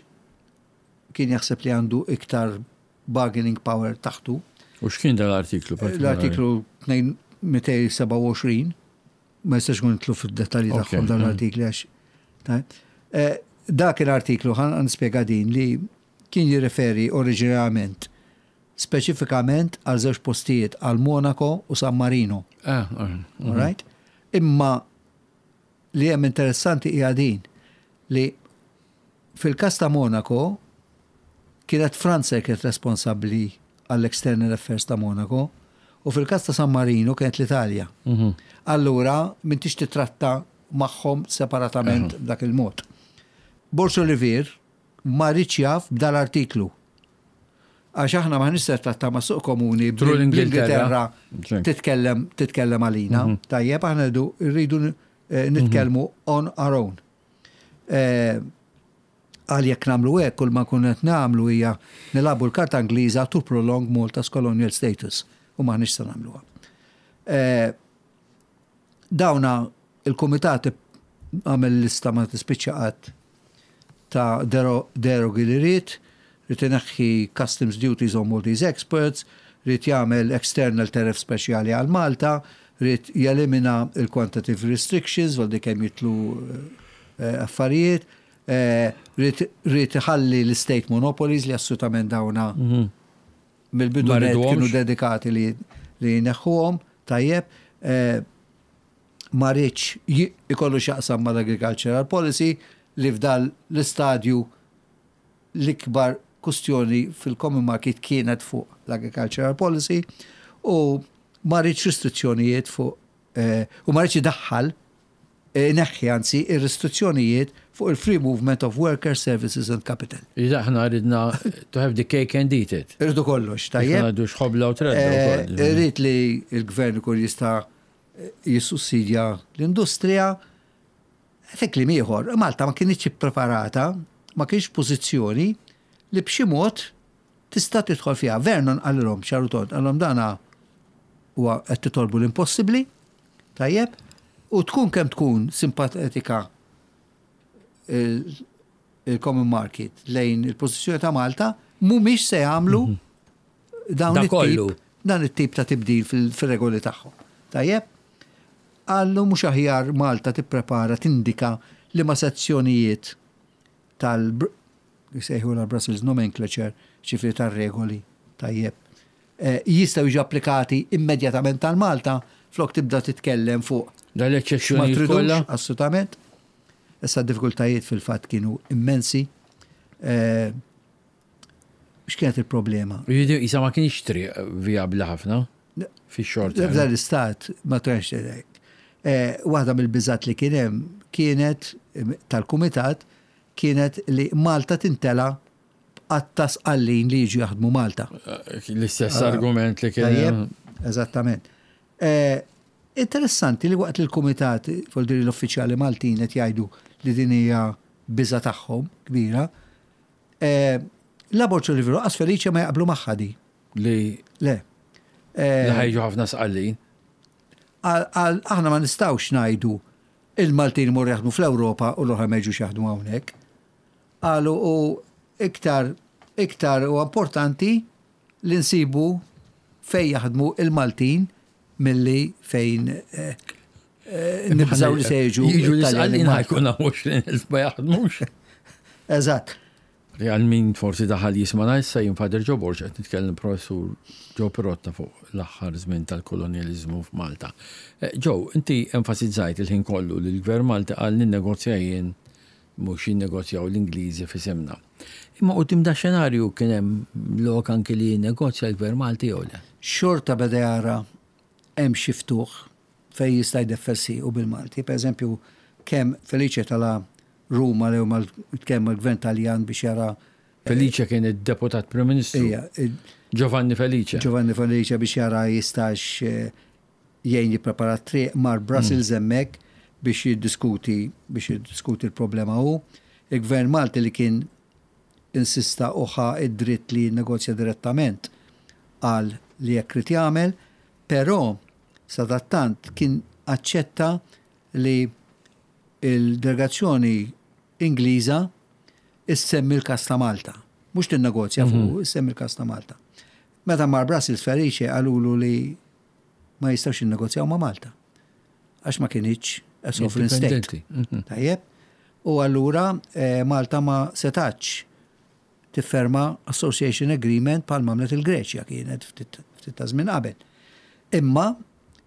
kien jaħseb li għandu iktar bargaining power taħtu. U x'kien dal-artiklu partikolari? L-artiklu tnejn mitej seba' u għoxrin, ma jistax nkun nitlu fid-dettalji Ok, tagħhom dan mm. l-artikli għax, ta', eh, dak l-artiklu ħan nispjega din li kien jirreferi oriġinarjament speċifikament għal żewġ postijiet, għal Monaco u San Marino. Ah, ah, mm. All right? Imma li hemm interessanti hija din li fil-każ ta' Monaco kienet Franza kienet responsabbli għall-External Affairs ta' Monaco u fil-każ ta' San Marino kienet l-Italja. Mhm. Allura m'intix titratta magħhom separatament Aha. b'dak il-mod. Borg Olivier ma rridx jaf b'dal-artiklu. Għax aħna ma nista' tratta ma' suq komuni Through l-Ingilterra. bl-Ingilterra titkellem titkellem għalina. Tajjeb, aħna rridu rridu eh, nitkellmu on our own. Eh, Għal jekk nagħmlu hekk, kull ma nkunu qed nagħmlu hija nilagħbu l-karta Ingliża to prolong Malta's colonial status u m'aħniex se nagħmluha. Eh, Dawna il-kumitat għamel lista ma tispiċċa qatt ta' dero- derogi li ried, ried ineħħi customs duties on Maltese exports, ried jagħmel external tariff speċjali għal Malta, ried jelimina il-quantitative restrictions, għal kemm jidħlu eh, affarijiet, eh, ried ried iħalli l-state monopolies li assolutament dawna mill-bidu Ma net riduhomx. kienu dedikati li li jneħħuhom, tajjeb, eh, ma riedx ji- ikollu x'jaqsam mal-agricultural policy li f'dal l-istadju l-ikbar kustjoni fil-common market kienet fuq l-agricultural policy u ma riedx restrizzjonijiet fuq eh, u ma riedx idaħħal eh, neħħi anzi ir-restrizzjonijiet fuq il-free movement of workers, services and capital. Iżda aħna ridna to have the cake and eat it. Irridu kollox, tajjeb. Għadu xħobla u tredda. Eh, wkoll. Irrid li il-gvern ikun jista' jissussidja l-industrija. Fi kliem ieħor, Malta ma kienx preparata, ma kienx pożizzjoni li b'xi mod tista' tidħol fiha. Vernon qalilhom ċar u tond, qalilhom dana huwa qed titolbu l-impossibbli, tajjeb, u tkun kemm tkun simpatetika il- il-common market lejn il-pożizzjoni ta' Malta, mhumiex se jagħmlu dawn Da it-tip kollu. dan it-tip ta' tibdil fil- fil-regoli tagħhom. Tajjeb, għallu mhux aħjar Malta tipprepara tindika li ma sezzjonijiet tal jsejħu la Brussels nomenclature ċifri tar-regoli tajjeb. Eh, Jistgħu jiġu applikati immedjatament tal-Malta flok tibda titkellem fuq Da ma l-eċċezzjonijiet tridux, kollha. assolutament. Issa d-diffikultajiet fil-fatt kienu immensi. Eh, X'kienet il-problema? Jiġifieri, Isa ma kienx triq viabli ħafna fi-short term. F'dan l-istat ma tranx hekk. Eh, Waħda mill-biżat li kien hemm kienet eh, tal-kumitat kienet li Malta tintela b'qatta Sqallin li jiġu jaħdmu Malta. L-istess argument li kien. Tajjeb, eżattament. Eh, Interessanti li waqt li l-kumitat, voldiri l-uffiċjali Maltin qed jgħidu li din hija biża tagħhom kbira, eh, la Borg Olivier u Felice ma jaqblu magħha di. Li Le. Eh, li ħa jiġu ħafna Sqallin. għal- għal- aħna ma nistgħux ngħidu il-Maltin mor jaħdmu fl-Ewropa u l-oħra ma jiġux jaħdmu hawnhekk. Qalu u iktar iktar u importanti li nsibu fejn jaħdmu il-Maltin milli fejn eh, eh, nibżaw li se jiġu. Jiġu Italjani l-Sqallin Malta. ħa jkun għoxrin elf ma jaħdmux. Eżatt. Li għal min forsi daħal jismana issa jien Father Joe Borg qed nitkellem professur Joe Pirotta fuq l-aħħar żmien tal-kolonjaliżmu f'Malta. Eh, Joe, inti enfasizzajt il-ħin kollu li l-Gvern Malti qal ninnegozja jien mhux jinnegozjaw l-Ingliżi f'isimna. Imma quddiem da xenarju kien hemm lok anki li jinnegozja l-Gvern Malti jew le? Xorta beda jara hemm xi ftuħ fejn jista' jdeffer siequ bil-Malti. Per eżempju, kemm Felice tala' Ruma li huma kemm il-Gvern Taljan biex jara Felice kien id-deputat Prim Ministru. Ija, il- Giovanni Felice. Giovanni Felice biex jara jistax eh, jgħin jipprepara triq mar Brussels hemmhekk biex jiddiskuti biex jiddiskuti l-problema hu. Il-Gvern Malti li kien insista u ħa id-dritt li jinnegozja direttament għal li jekk irid jagħmel, però sadattant kien aċċetta li il-delegazzjoni Ingliża issemmi l-kas ta' Malta. Mhux tinnegozja fuq, issemmi l-kas ta' Malta. Meta mar Brussels Felice qalulu li ma jistgħux jinnegozjaw ma' Malta. Għax ma kinitx a sovereign state. Indipendenti. Mhm. Tajjeb. U allura eh, Malta ma setax tifferma Association Agreement bħal m'għamlet il-Greċja kienet ftit ftit ta' żmien qabel. Imma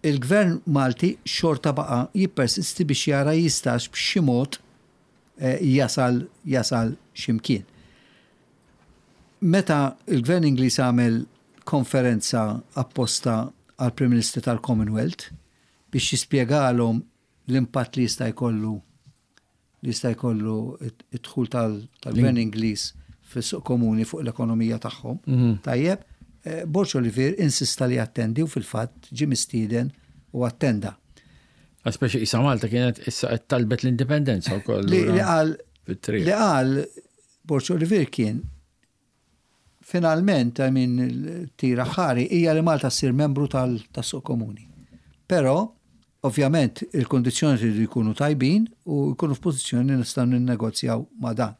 il-gvern Malti xorta baqa jippersisti biex jara jistax b'xi mod eh, jasal jasal ximkien. Meta il-gvern Ingliż għamel konferenza apposta għal Prim Ministru tal-Commonwealth biex jispjegalhom l-impatt li jista' jkollu li jista' jkollu id-dħul tal-gvern Ingliż fis-suq komuni fuq l-ekonomija tagħhom. Mhm. Tajjeb, eh, Borg Olivier insista li attendi u fil-fatt ġie mistieden u attenda. Speċi issa Malta kienet issa qed talbet l-indipendenza wkoll. Li qal li qal Borg Olivier kien finalment, I mean, tira ħari, hija li Malta ssir membru tal-suq komuni. Però, ovvjament, il-kondizzjoni tridu jkunu tajbin u jkunu f'pożizzjoni nistgħu ninnegozjaw ma' dan.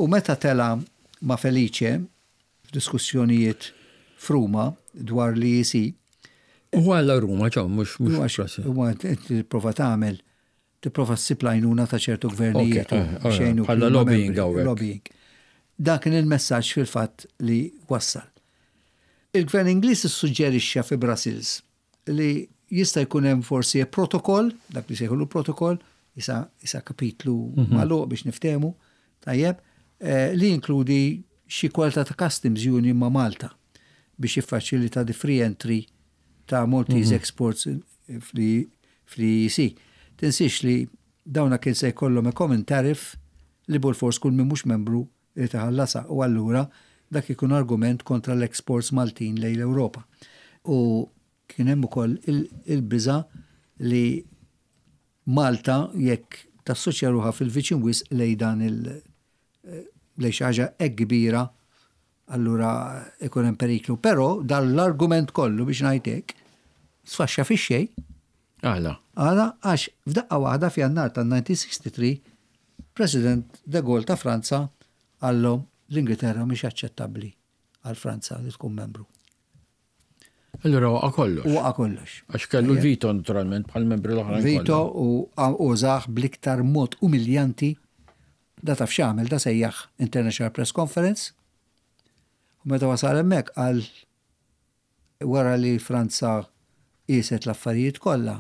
U meta tela ma' Felice f'diskussjonijiet f'Ruma dwar l-E E C. U għalla Ruma, ġo, mux mux. Huwa tipprova tagħmel, tipprova ssib l-għajnuna ta' ċertu gvernijiet. Eh, bħala lobbying hawnhekk. Lobbying. Dan kien il-messaġġ fil-fatt li wassal. Il-gvern Ingliż issuġġerixxa fi Brussels li jista' jkun hemm forsi protokoll, dak li sejħulu protokoll, isa, isa kapitlu mm -hmm. magħluq biex niftehmu, tajjeb, eh, li jinkludi xi kwalità ta' customs union ma' Malta biex jiffaċilita the free entry ta' Maltese mm -hmm. exports fl-E E C. Tinsix li dawna kien se jkollhom a common tariff li bilfors kull min mhux membru li tħallasha u allura dak ikun argument kontra l-exports Maltin lejn l-Ewropa. U kien hemm ukoll il-biża li Malta jekk tassoċja ruħha fil-viċin wisq lejn dan il- lejn xi ħaġa hekk kbira, allura ikun hemm periklu. Però dal-argument kollu, biex ngħidlek, sfaxxa fix-xejn. Għala? Għala, għax f'daqqa waħda f'Jannar tal-elf disa' mija u sitta u sittin President de Gaulle ta' Franza qallu l-Ingilterra mhix aċċettabbli għal Franza li tkun membru. Allura waqa' kollox. Waqa' kollox. Għax kellu l-veto naturalment bħal membri l-oħrajn. Veto u użah bl-iktar mod umiljanti. Da taf x'għamel? Da sejjaħ International Press Conference. U meta wasal hemmhekk qal wara li Franza qiset l-affarijiet kollha,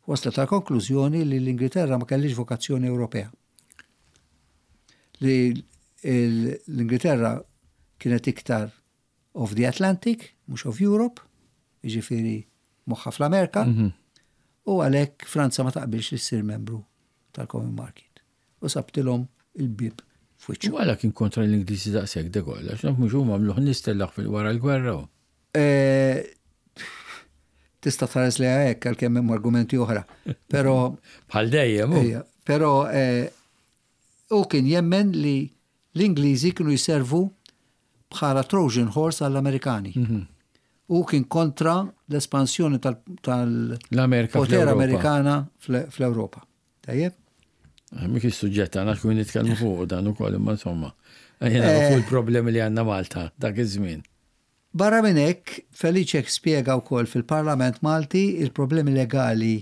waslet ta' konklużjoni li l-Ingilterra ma kellix vokazzjoni Ewropea. Li l-Ingilterra kienet iktar of the Atlantic, mhux of Europe, jiġifieri moħħa fl-Amerika, mhm. u għalhekk Franza ma taqbilx li ssir membru tal-Common Market. U sabtilhom il-bib f'wiċċu. U għala kien kontra l-Ingliżi daqshekk de Gaulle, għax naf mhux huma għamluh nistellaħ fil-wara l-gwerra. E, tista' tħares li hekk għalkemm hemm argumenti oħra. Però Bħal dejjem. Però e, u kien jemmen li l-Ingliżi kienu jiservu bħala Trojan horse għall-Amerikani. Mhm. U kien kontra l-espansjoni tal-poter Amerikana fl-Europa. Tajjeb? Eh, mhux is-suġġett għandna kun nitkellmu fuq dan ukoll, imma insomma. Jena eh. fuq il-problemi li għandna Malta dak iż-żmien. Barra minn hekk, Felice spjega wkoll fil-Parlament Malti il-problemi legali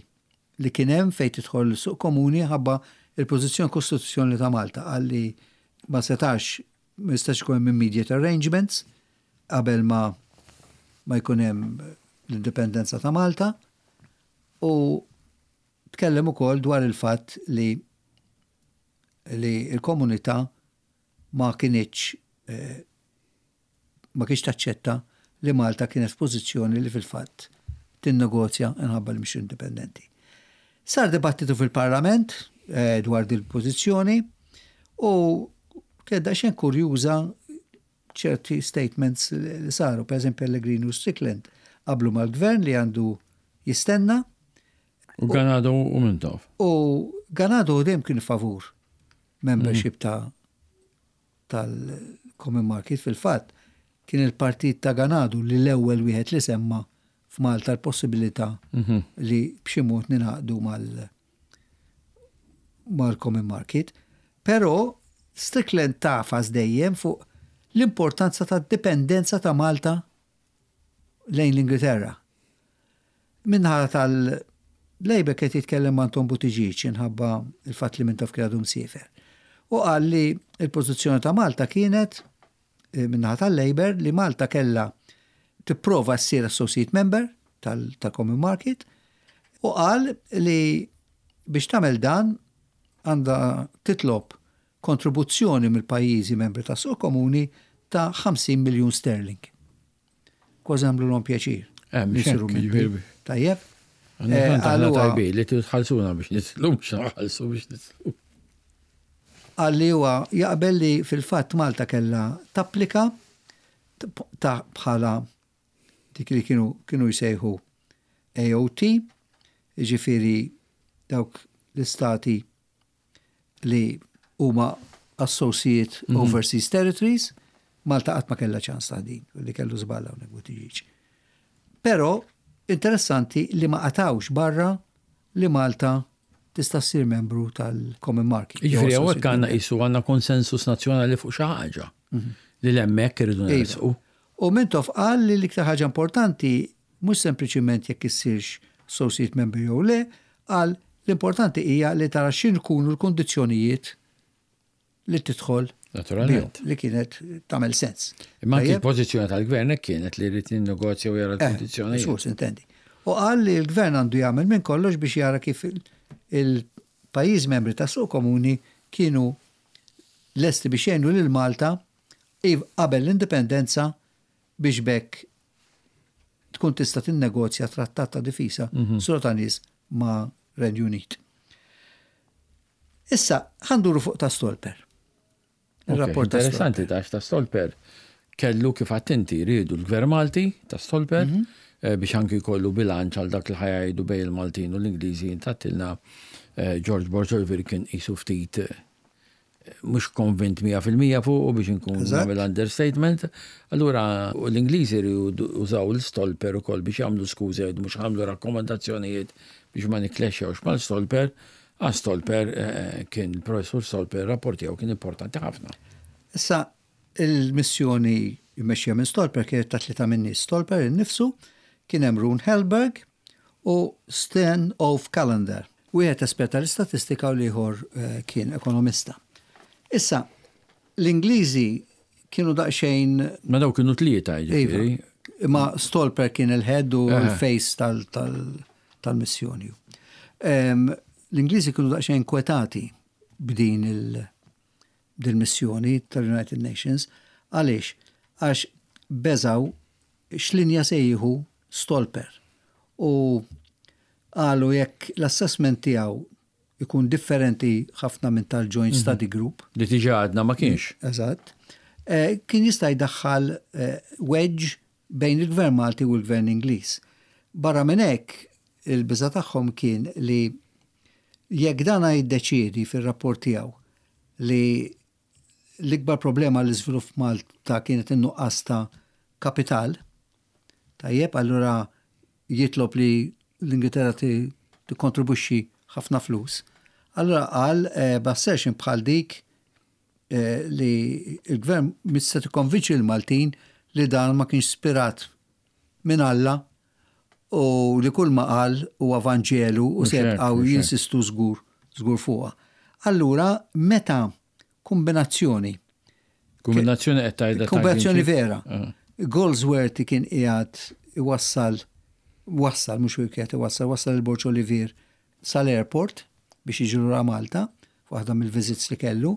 li kien hemm fejn tidħol suq komuni ħabba il-pożizzjoni kostituzzjoni ta' Malta, għalli ma setax ma jistax ikun hemm immediate arrangements qabel ma ma jkun hemm l-indipendenza ta' Malta, u tkellem ukoll dwar il-fatt li li l-komunità ma kinitx eh, ma kienx taċċetta li Malta kienet f'pożizzjoni li fil-fatt tinnegozja minħabba li mhix indipendenti. Sar dibattitu fil-Parlament eh, dwar dil-pożizzjoni u kien daqsxejn kurjuża ċerti statements li saru, per eżempju Pellegrini u Strickland qablu mal-gvern li għandu jistenna. U Ganado u Mintoff. U Ganado dejjem kien favur membership ta' tal-Common Market. Fil-fatt kien il-partit ta' Ganado li l-ewwel wieħed li semma f'Malta l-possibilità mhm. li b'xi mod ningħaqdu mal mal-Common Market. Però Strickland tafas dejjem fuq l-importanza ta' dipendenza ta' Malta lejn l-Ingilterra. Min-naħa tal-Labour qed jitkellem Anton Buttigieg inħabba il-fatt li Mintoff kien għadu msiefer. U qal li il-pożizzjoni ta' Malta kienet eh, min-naħa tal-Labour li Malta kella tipprova ssir associate member tal-Common Market u qal li biex tagħmel dan għandha titlob kontribuzzjoni mill-pajjiżi membri tas suq komuni ta' ħamsin miljun sterling. Kważi għamlu pjaċir. Eh, Tajjeb. Eh, tajbi li tħallsuna biex nitlu, mhux nħallsu biex nitlu. Qal li huwa jaqbel li fil-fatt Malta kellha tapplika ta' bħala dik li kienu kienu jsejħu A O T, jiġifieri dawk l-istati li huma Associate mm -hmm. Overseas Territories. Malta qatt ma kellha ċans ta' din, li kellu żball hawnhekk Buttigieg. Però interessanti li ma qatawx barra li Malta tista' ssir membru tal-Common Market. Jiġifieri hawnhekk għandna qisu għandna konsensus nazzjonali fuq xi ħaġa li hemmhekk irridu Iva. nersqu. U Mintoff qal li l-iktar ħaġa importanti mhux sempliċiment jekk issirx associate member jew le, qal l-importanti hija li tara x'ikunu l-kondizzjonijiet li tidħol Naturalment. bihom, li kienet tagħmel sens. Imma anki Tajjeb? l-pożizzjoni tal-gvern hekk kienet li jrid jinnegozja u jara Eh, l-kondizzjonijiet. Sus, intendi. U qal li l-gvern għandu jagħmel minn kollox biex jara kif il- il-pajjiż membri ta' suq komuni kienu lesti biex jgħinu lil Malta iv- qabel l-indipendenza biex bekk tkun tista' tinnegozja trattat ta' difisa mm ta' nies ma' Renju Unit. Issa, ħa nduru fuq ta' Stolper. Il-rapport ta' Interessanti ta' ta' Stolper kellu, kif attenti rridu l-gvern Malti ta' Stolper mm -hmm. biex anki jkollu bilanċ għal dak li ħa jgħidu bejn il-Maltin u l-Ingliżi. Intattilna eh, George Borg Olivier kien qisu ftit eh, mhux konvint mija fil-mija fuq u biex nkun nagħmel understatement. Allura l-Ingliżi użaw l-Stolper ukoll biex jagħmlu skużi, jgħidu mhux għamlu rakkomandazzjonijiet biex ma nikklexxjawx mal-Stolper. Għax Stolper kien, il-professur Stolper, rapport tiegħu kien importanti ħafna. Issa, il-missjoni jmexxija minn Stolper kienet ta' tlieta minn nies. Stolper innifsu, kien hemm Rune Helberg u Sten Ove Kalander. Wieħed espert tal-istatistika u l-ieħor eh, kien ekonomista. Issa, l-Ingliżi kienu daqsxejn Ma daw kienu tlieta, jiġifieri. Iva. Ma Stolper kien il-head u l-face tal-missjoni. L-Ingliżi kienu daqsxejn kwetati b'din il-missjoni tal-United Nations. Għaliex? Għax beżaw x'linja se jieħu Stolper. U qalu jekk l-assessment tiegħu ikun differenti ħafna minn tal-Joint mm -hmm. Study Group. Li tiġa għadna ma kienx. Eżatt. Eh, kien jista' jdaħħal eh, wedge bejn il-Gvern Malti u l-Gvern Ingliż. Barra minn hekk, il-biża tagħhom kien li jekk dana jiddeċiedi fir-rapport tiegħu li l-ikbar problema l-iżvilupp Malta kienet in-nuqqas ta' kapital, tajjeb, allura jitlob li l-Ingilterra tikkontribwixxi ħafna flus. Allura qal eh, b'assertion bħal dik eh, li il-gvern mista tikkonvinċi l-Maltin li dan ma kienx spirat minn Alla u li kull ma qal huwa Vanġelu u se jibqgħu jinsistu żgur żgur fuqha. Allura meta kombinazzjoni Kombinazzjoni qed tgħidha? Kombinazzjoni vera. Goldsworthy kien qiegħed iwassal, wassal, mhux qiegħed iwassal, wassal il-Borg Olivier sal-airport biex jiġu lura Malta, waħda mill-visits li kellu,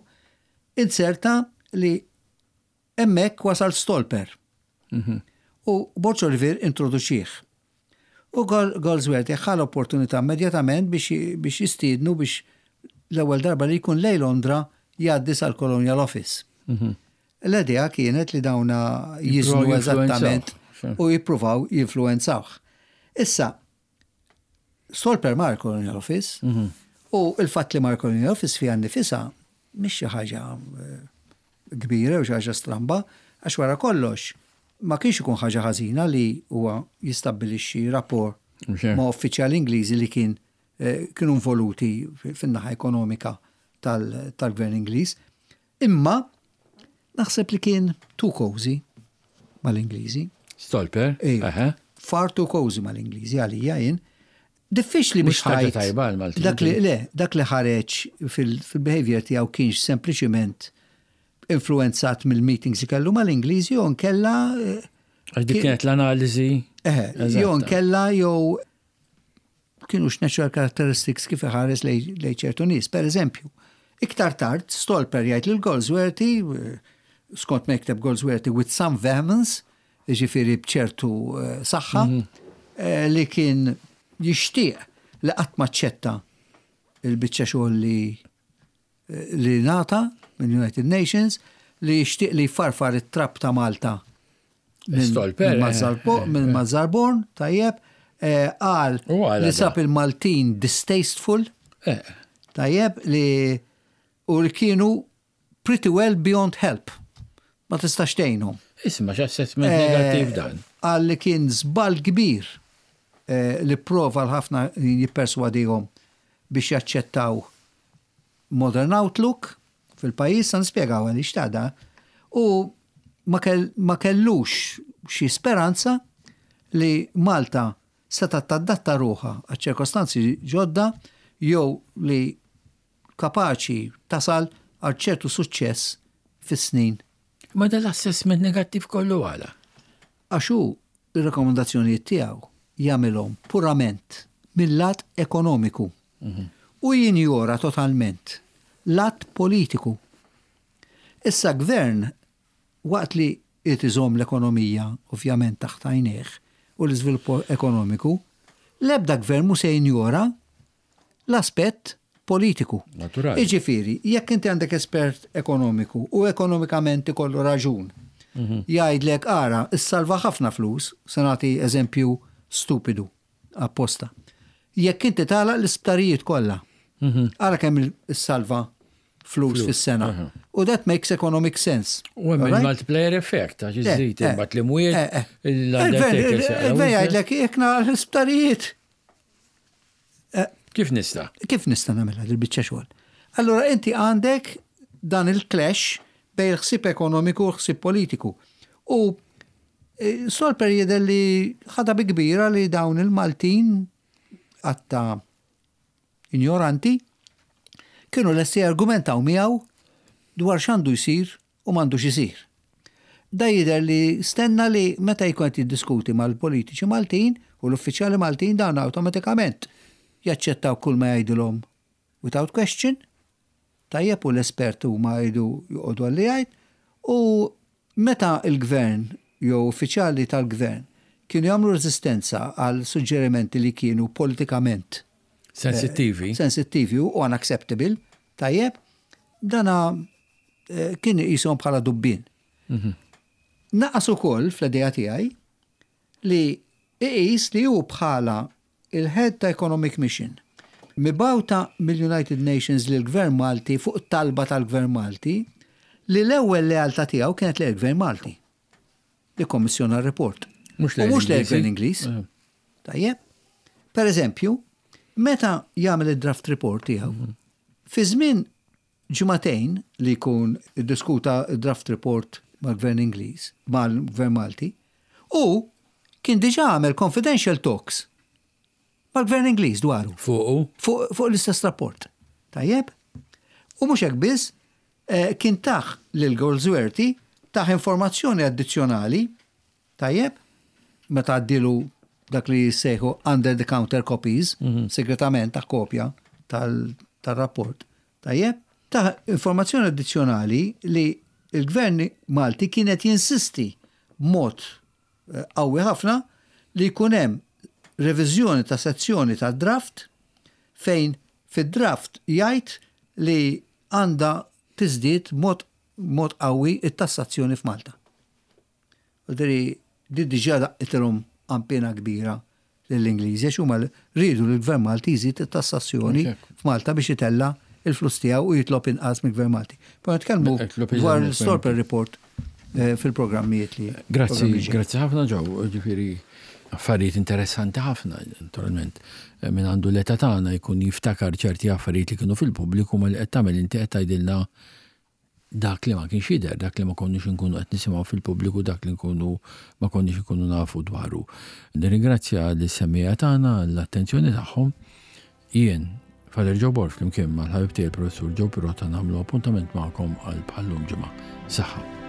inserta li hemmhekk wasal Stolper. Mhm. U Borg Olivier introduċih. U Goldsworthy ħa l-opportunità immedjatament biex jistiednu biex l-ewwel darba li jkun lejn Londra jgħaddi sal-Colonial Office. Mhm. L-idea kienet li dawna jiżnu eżattament u jippruvaw jinfluenzawh. Issa, Stolper mar Colonial Office mhm. u il-fatt li mar Colonial Office fija nifisha mhix xi ħaġa eh, kbira u xi ħaġa stramba, għax wara kollox ma kienx ikun ħaġa ħażina li huwa jistabbilixxi rapport ma' uffiċjali Ingliżi li kien eh, kienu involuti fin-naħa ekonomika tal-gvern Ingliż. Imma naħseb li kien too cozy mal-Ingliżi. Stolper? Iva. Far too cozy mal-Ingliżi għalija jien. Diffiċli biex ħaġa tajba għal-Maltin. Dak li le, dak li ħareġ fil-behavior tiegħu kienx sempliċiment influenzat mill-meetings li kellu mal-Ingliżi jew nkella. Eh, għax dik kienet l-analiżi. Eh, jew nkella jew kienu natural characteristics kif iħares lejn ċertu nies. Per eżempju, iktar tard Stolper jgħid lil Goldsworthy, eh, skont ma jikteb Goldsworthy, with some vehemence, ġifieri bċertu eh, saħħa, mhm. li kien jixtieq li qatt ma ċetta il-biċċa xogħol li eh, li ngħata minn United Nations li jixtieq li jfarfar it-trab ta' Malta minn Stolper, minn eh, Mazzarbo- minn Mazzarborn, tajjeb, eh, qal U għala li da. sab il-Maltin distasteful, Eh, tajjeb, li u li kienu pretty well beyond help. Ma tistax tgħinhom. Isma' x'assessment Eh, negattiv dan. Qal li kien żball kbir eh, li prova l-ħafna jipperswadihom biex jaċċettaw Modern Outlook fil-pajjiż, sa nispjegaw għaliex tada, u ma, kell, ma kellux xi speranza li Malta seta tadatta ruħha għal ċirkostanzi ġodda jew li kapaċi tasal għal ċertu suċċess fis-snin. Ma dal-assessment negattiv kollu għala. Għax hu ir-rekomendazzjonijiet tiegħu jagħmilhom purament mill-lat ekonomiku u jinjora totalment lat politiku. Issa gvern waqt li irid iżomm l-ekonomija ovvjament taħt għajnejh u l-iżvilupp ekonomiku, l-ebda gvern mu se jinjora l-aspett politiku. Naturali. Iġifieri, jekk inti għandek espert ekonomiku u ekonomikament ikollu raġun, jgħidlek ara, issalva ħafna flus, se nagħti eżempju stupidu, apposta. Jekk inti tagħlaq l-isptarijiet kollha, ara kemm issalva flus fis-sena. U that makes economic sense. U hemm Alright? il-multiplier effect, għax Eh, iżżid eh, imbagħad l-imwiet, eh, eh. l-undertakers. Il-gvern jgħidlek jekk nagħlaq l-isptarijiet. Kif nista'? Kif nista' nagħmilha dil-biċċa xogħol? Allura inti għandek dan il-clash bejn il-ħsieb ekonomiku u l-ħsieb politiku. U eh, Stolper jidher li ħadha bi kbira li dawn il-Maltin għatta ignoranti kienu lesti argumentaw miegħu dwar x'għandu jsir u m'għandux isir. Da jidher li stenna li meta jkun qed jiddiskuti mal-politiċi Maltin u l-uffiċjali Maltin dawn awtomatikament jaċċettaw kull ma jgħidilhom without question, tajjeb u l-espert huma jgħidu joqogħdu għalli jgħid, u meta il-gvern jew uffiċjali tal-gvern kienu jagħmlu reżistenza għal suġġerimenti li kienu politikament Sensittivi. sensittivi u unacceptable, tajjeb, dana eh, kien jisom bħala dubbin. Naqas ukoll fl-idea tiegħi li iqis li hu bħala il-head ta' Economic Mission mibgħuta mill-United Nations lil gvern Malti fuq talba tal-Gvern Malti li l-ewwel lealtà tiegħu kienet lil gvern Malti li kommissjona r-report. Mhux U lejn mhux lejn l-Ingliżi. gvern Ingliż. Eh. Tajjeb. Per eżempju, meta jagħmel id-draft report tiegħu, fi żmien ġimagħtejn li jkun iddiskuta id-draft report mal-Gvern Ingliż, mal-Gvern Malti, u kien diġà għamel confidential talks mal-Gvern Ingliż dwaru Fuqu. fuq fuq l-istess rapport. Tajjeb? U mhux hekk biss, eh, kien tah lil Goldsworthy tah informazzjoni addizzjonali, tajjeb, meta għaddilu dak li jissejħu under the counter copies, segretament ta' kopja tal- tal-rapport. Tajjeb? Tah informazzjoni addizzjonali li il-gvern Malti kienet jinsisti b'mod eh, qawwi ħafna li jkun hemm reviżjoni ta' sezzjoni ta' draft fejn fid-draft jgħid li għandha tiżdied mod mod qawwi it-tassazzjoni f'Malta. U diri di diġà daqqitilhom ampina kbira lill-Ingliżi għax huma rridu li l-Gvern Malti jżid it-tassazzjoni Mhux hekk. f'Malta biex itella il-flus tiegħu u jitlob inqas mill-Gvern Malti. Poi nitkellmu Jitlob iżgħar dwar mill-Gvern l-Stolper Report eh, fil-programmijiet li. Grazzi, programmi ġej. grazzi ħafna Joe, ġifieri affarijiet interessanti ħafna, naturalment. Eh, Min għandu l-età tagħna jkun jiftakar ċerti affarijiet li kienu fil-pubbliku ma li qed tagħmel inti qed tgħidilna dak li ma kienx jidher, dak li ma konniex nkunu qed nisimgħu fil-pubbliku, dak li nkunu ma konniex nkunu nafu dwaru. Nirringrazzja lis-semmiegħa tagħna l-attenzjoni tagħhom. Jien, Father Joe Borg flimkien mal-ħabib tiegħi il-Professur Joe Pirotta nagħmlu appuntament magħkom għal bħal-lum ġimgħa. Saħħa.